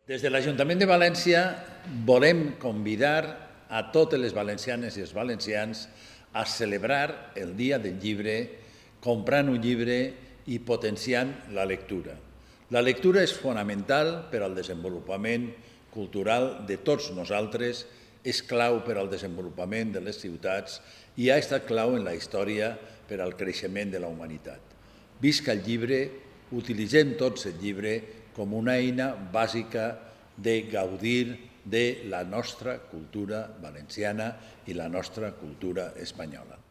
Des de l'Ajuntament de València volem convidar a totes les valencianes i els valencians a celebrar el Dia del Llibre comprant un llibre i potenciant la lectura. La lectura és fonamental per al desenvolupament cultural de tots nosaltres, és clau per al desenvolupament de les ciutats i ha estat clau en la història per al creixement de la humanitat. Visca el llibre, utilitzem tots el llibre com una eina bàsica de gaudir de la nostra cultura valenciana i la nostra cultura espanyola.